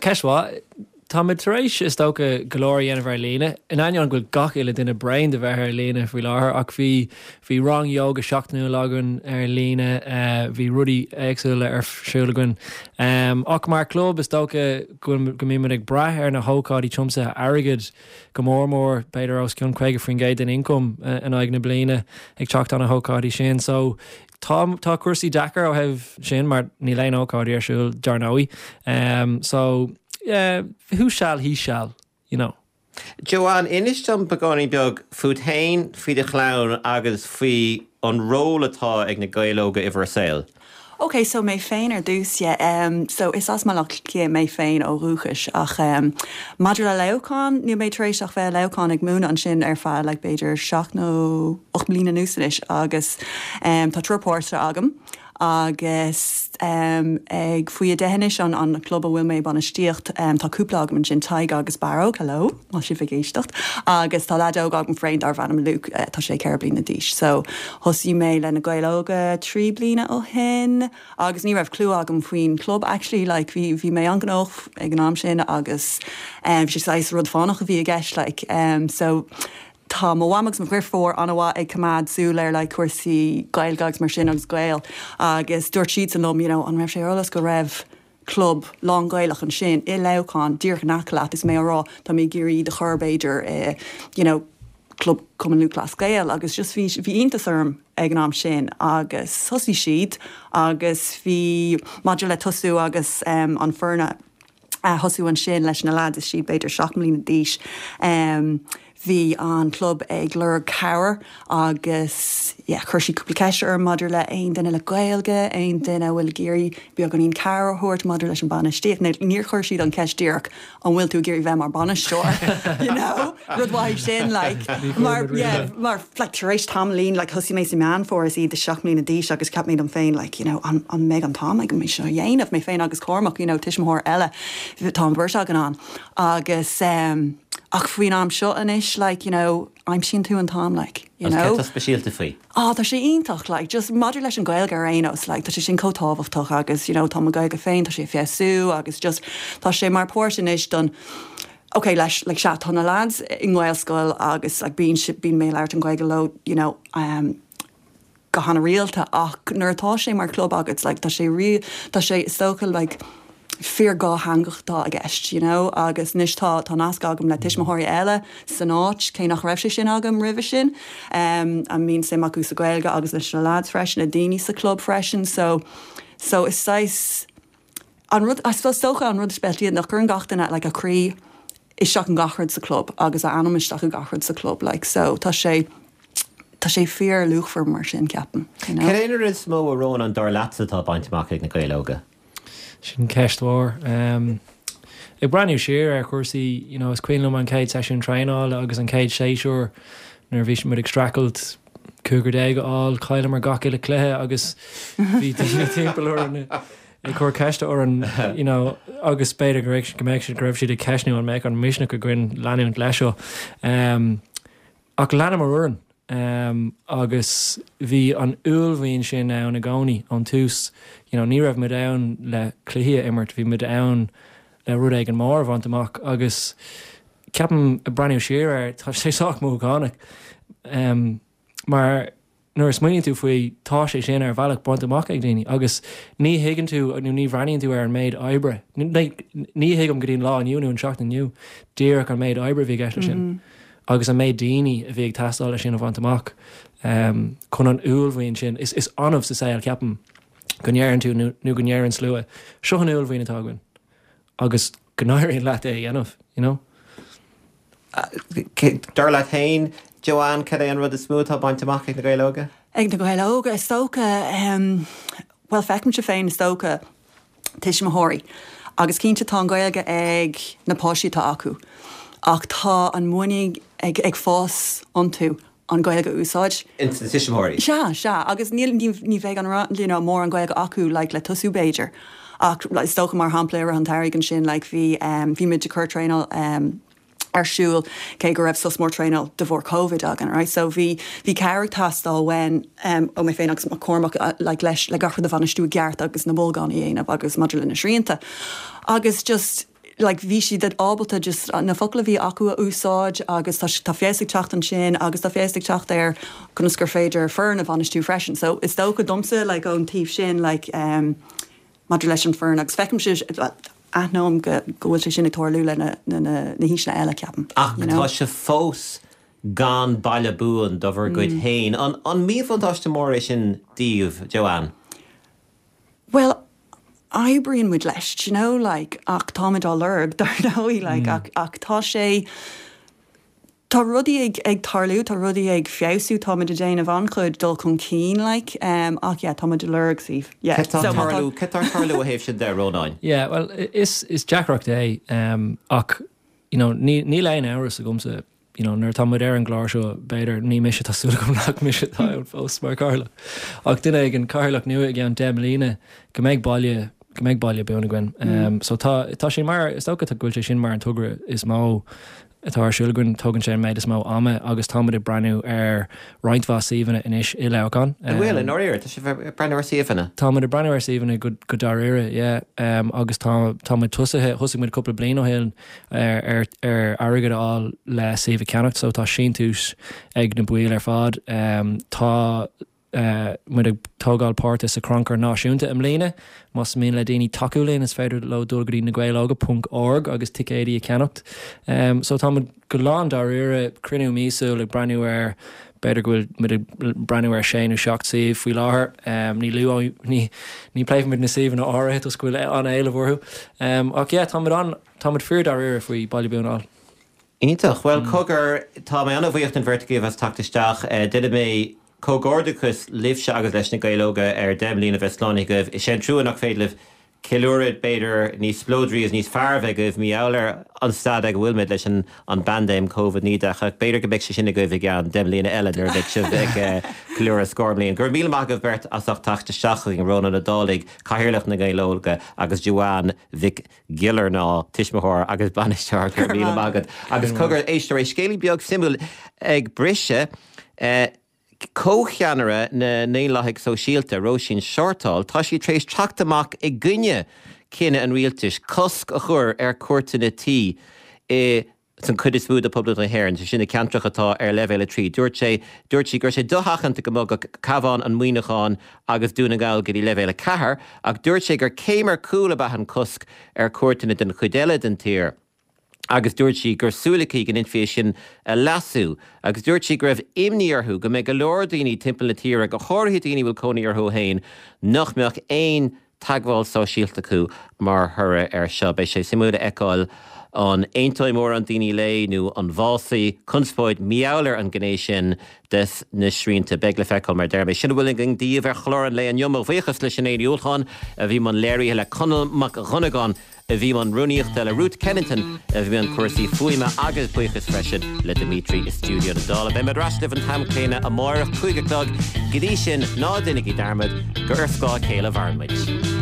Ceist mhaith. Táimid tar éis, is dócha, go leor a dhéanamh ar líne, in ainneoin go bhfuil gach uile duine bréan de bheith ar líne faoi láthair, ach bhí, bhí rang yoga seachtainiúil againn ar líne, bhí rudaí éagsúla ar siúl againn. Ach mar chlub, is dócha go bhfuil, go mbímid ag brath ar na hócáidí tiomsaithe airgid go mór mór, b'fhéidir os cionn caoga faoin gcéad den ioncam in aghaidh na bliana ag teacht ó na hócáidí sin. So, tá, tá cúrsaí deacair ó thaobh sin mar níl aon ócáidí ar siúl, dar ndóigh. So, yeah, who shall, he shall, you know. Joanne, inis dom beagáinín beag fút féin, faoi do chlann agus faoi an ról atá ag na Gaeil Óga i bhur saol. Ok, so mé féin ar dtús yeah, um, so is as Baile Átha Cliath mé féin ó dhúchas ach um, maidir le Leamhcán níl mé tar éis ach bheith Leamhcán ag múineadh ansin ar feadh like, b'fhéidir seacht nó ocht mbliana anuas anois agus um, tá triúr páiste agam agus um, ag faoi a deich anois an an club a bhfuil mé bainistíocht um, tá cúpla agam ansin Tadhg agus Barróg, hello, má sibh ag éisteacht agus tá leaid óg agam féin darb ainm Luke uh, tá sé ceithre bliana d'aois. So thosaigh mé le na Gaeil Óga trí bliana ó shin agus ní raibh clue agam faoin club actually like bhí bhí mé an-ghnóthach ag an am sin agus um, sé saghas rud fánach a bhí i gceist like um, so Tá mo mham agus mo dheirfiúr an-mhaith ag coimeád súil ar like cúrsaí Gaeilge agus mar sin agus Gael agus dúirt siad san liom you know, an raibh sé eolas go raibh club lán-Ghaelach ansin i Leamhcán díreach in aice leat is mé á rá tá mé ag iarraidh do chur b'fhéidir eh, you know, club Cumann Lúthchleas Gael agus just bhí bhí iontas orm ag an am sin agus thosaigh siad agus bhí maidir le tosú agus um, an foirne a thosú ansin leis na lads is siad b'fhéidir seacht mbliana d'aois. Um, bhí an club ag lorg cabhair agus yeah, chuir sí cúpla ceist orm maidir le aon duine le Gaeilge, aon duine bhfuil ag iarraidh beagáinín cabhair a thabhairt maidir leis an bainistíocht. Níor chuir siad an ceist díreach an bhfuil tú ag iarraidh bheith mar bainisteoir. you know? Rud mhaith sin like, mar, yeah, mar like, tar éis tamaillín like, thosaigh mé sa Meán Fómhair is iad de seacht mbliana d'aois agus cheap mé dom féin like, you know, an, an mbeidh an t-am ag mé seo dhéanamh mé féin agus Cormac you know, tuismitheoir eile tá an bheirt againn ann agus um, ach faoin am seo anois like, you know, aimsíonn tú an t-am like, you know. Tá speisialta faoi. Ah, tá sé iontach like, just maidir leis an Gaeilge ar aon nós like, tá sé sin chomh tábhachtach agus you know, tá mo Gaeilge féin tá sé feabhsú agus just tá sé mar páirt anois don Okay, leis like, sea tá na lads i nGaelscoil agus like, bíonn bíonn mé labhairt an Gaeilge leo you know, um, go han-rialta ach nuair atá sé mar club agat like, tá sé ri tá sé is dócha like, fíor dhátheangach atá i gceist, you know, agus anois tá tá nasc agam le tuismitheoirí eile san áit cé nach raibh sé sin agam roimhe sin. Um, a mbíonn suim acu sa Gaeilge agus leis na lads freisin na daoine sa club freisin, so so is saghas an rud I suppose dócha an rud speisialta nach cuireann gach duine like, a croí isteach in gach rud sa club agus a anam isteach i gach rud sa club like, so tá sé tá sé fíor luachmhar mar sin ceapaim. You know? Cad é an rud is mó a Rónán dar leatsa atá bainte amach ag na Gaeil Óga? Sin ceist mhór. Um, ag breathnú siar ar chúrsaí you know, is cuimhin liom an chéad seisiún traenála agus an chéad séasúr nuair bhí muid ag streachailt cúigear déag a fháil chailleamar gach uile cluiche agus bhí daoine timpeall orainn ag cur ceiste orainn you know, agus b'fhéidir go raibh go mbeidh siad go raibh siad ag ceistniú an mbeadh an misneach againn leanúint leis seo. Um, ach leanamar orainn. Um, agus bhí an uaillmhian sin ann i gcónaí ón tús you know, ní raibh muid ann le cluichí a imirt, bhí muid ann le rud éigin mór a bhaint amach agus ceapaim ag breathnú siar air tá sé sách mothúchánach um, mar nuair a smaoiníonn tú faoi tá sé sin ar bhealach bainte amach ag daoine agus ní thuigeann tú nó ní bhreathnaíonn tú ar an méid oibre. Ní ní thuigim go dtí an lá inniu nó an seachtain inniu díreach an méid oibre bhí i gceist leis sin. Mm -hmm. agus an méid daoine a bhí ag teastáil leis sin a bhaint amach um, chun an uaillmhian sin is, is annamh sa saol ceapaim go ndeireann tú nó nó go ndeireann slua. Seo an uaillmhian atá againn agus go n-éiríonn leat é a dhéanamh, you know? Dar leat féin, Joanne, cad é an rud is mó atá bainte amach ag na Gaeil Óga? Ag na Gaeil Óga is dócha um, well feicimse féin is dócha tuismitheoirí. Agus cinnte tá an Gaeilge ag na páistí atá acu. Ach tá an muinín ag, ag fás iontu an Gaeilge a úsáid. Ins na tuismitheoirí? Sea, sea, agus ní, ní, ní bheidh an you know, mór an Gaeilge acu like, le tosú b'fhéidir. Ach like, is dócha mar shampla ar an tairg ansin like, bhí um, bhí muid ag cur traenáil um, ar siúl cé go raibh sos mór traenáil de bharr COVID againn, right? So bhí bhí cabhair ag teastáil uainn um, ó mé féin agus Cormac uh, like, leis le gach rud a bhainistiú i gceart agus na bolgáin a dhéanamh agus maidir le na srianta. Agus just like bhí siad ábalta just na focail a bhí acu a úsáid agus tá tá feabhas ag teacht ansin agus tá feabhas ag teacht ar conas gur féidir foireann a bhainistiú freisin. So is dócha domsa like ón taobh sin like um, maidir leis an foireann agus feicimse aithním go go bhfuil sé sin ag tarlú le na, na, na, na haoiseanna eile ceapaim. Ach tá sé fós gan baile buan do bhur gcuid féin. An, an míbhuntáiste mór é sin daoibh, Joanne? Well, oibríonn muid leis, you know, like, ach táimid á lorg dar ndóigh, like, mm. ach, ach tá sé Tá rudaí ag ag tarlú, tá rudaí ag feabhsú, táimid ag déanamh an-chuid dul chun cinn like, um, ach yeah, táimid ag lorg suíomh. Yeah. Cad tá tarlú cad tá tarlú ó thaobh sin de Rónáin? Yeah, well is is deacracht é um, ach you know, ní níl aon amhras agamsa you know, nuair tá muid ar an gclár seo b'fhéidir ní mise tá súil agam nach mise atá ann fós mar chathaoirleach. Ach duine ag an cathaoirleach nua i gceann deich mbliana go mbeidh baile go mbeidh baile buan againn. Um, so tá tá sé mar is dócha go bhfuil sé sin mar an togra is mó atá ar siúl againn tógann sé an méid is mó ama agus táimid ag breathnú ar roinnt mhaith suíomhanna anois i Leamhcán. An bhfuil i ndáiríre tá sibh ag breathnú ar suíomhanna? Táimid ag breathnú ar suíomhanna go go dáiríre yeah um, agus tá táimid tosaithe thosaigh muid cúpla bliain ó shin ar ar ar airgead a fháil le suíomh a cheannacht so tá síntiús ag na baill ar fad um, tá uh, muid ag tógáil páirte sa Crannchur Náisiúnta i mbliana más mian le daoine tacú linn is féidir leo dul go dtí na Gaeil Óga ponc org agus ticéidí a cheannacht. Um, so tá go lán dáiríre cruinniú míosúil ag breathnú ar b'fhéidir go bhfuil muid ag breathnú ar sé nó seacht suíomh faoi láthair um, ní lu ní ní pléifimid na suíomhanna áirithe toisc go bhfuil an-éileamh orthu. Um, ach yeah, táimid an táimid fíor dáiríre faoi baile buan a fháil. Iontach, well cogar tá mé an-bhuíoch den bheirt agaibh as teacht isteach Déanfaidh mé comhghairdeachas libhse agus leis na Gaeil Óga ar deich mbliana bheith slánaithe agaibh. Is é an trua nach féidir libh ceiliúradh b'fhéidir níos spleodraí is níos fearr bheith agaibh mar gheall ar an staid ag a bhfuil muid leis an an bpaindéim Covid naoi déag ach b'fhéidir go mbeidh sé sin agaibh i gceann deich mbliana eile nuair a bheidh sibh ag ceiliúradh scór bliain. Go raibh míle maith agaibh beirt as ucht teacht isteach chugainn Rónán Ó Dálaigh, Cathaoirleach na Gaeil Óga agus Joanne Mhic Giollarnáth, tuismitheoir agus bainisteoir go raibh míle maith agat. Agus cogar éisteoirí scéalaí beag suimiúil ag briseadh eh, Comhcheannaire na nDaonlathaigh Sóisialta, Róisín Shortall, tá sí tar éis teacht amach i gcoinne cinneadh an rialtais cosc a chur ar cuairteanna tí i san chuid is mó de Poblacht na hÉireann, sé sin na ceantracha atá ar leibhéal a trí. Dúirt sé dúirt sí go raibh sé dosheachanta go mbogfadh Cabhán, an Muineachán agus Dún na nGall go dtí leibhéal a ceathair, ach dúirt sé gur céim ar cúl ab ea an cosc ar cuairteanna den chuid eile den tír. agus dúirt sí gur súil aici go ndéanfaí é sin a leasú agus dúirt sí go raibh imní orthu go mbeidh go leor daoine timpeall na tíre, go háirithe daoine a bhfuil cónaí orthu féin, nach mbeadh aon teagmháil sóisialta acu mar thoradh air seo. Beidh sé suimiúil a fheiceáil an aontóidh mórán daoine léi nó an bhfásfaidh conspóid mar gheall ar an ghné sin des na srianta. Beidh le feiceáil mar deir mé. Sin a bhfuil againn daoibh ar chlár an lae inniu. Mo bhuíochas le Sinéad Ní Uallacháin a bhí i mbun léirithe le Conall Mac Dhonnagáin a bhí i mbun rúnaíochta le Ruth Kennington a bhí i mbun cúrsaí fuaime agus buíochas freisin le Dimitri i stiúideo na Dála. Beidh muid ar ais libh an t-am céanna amárach cúig a chlog. Go dtí sin ná déanaigí dearmad gur ar scáth a chéile a mhaireann muid.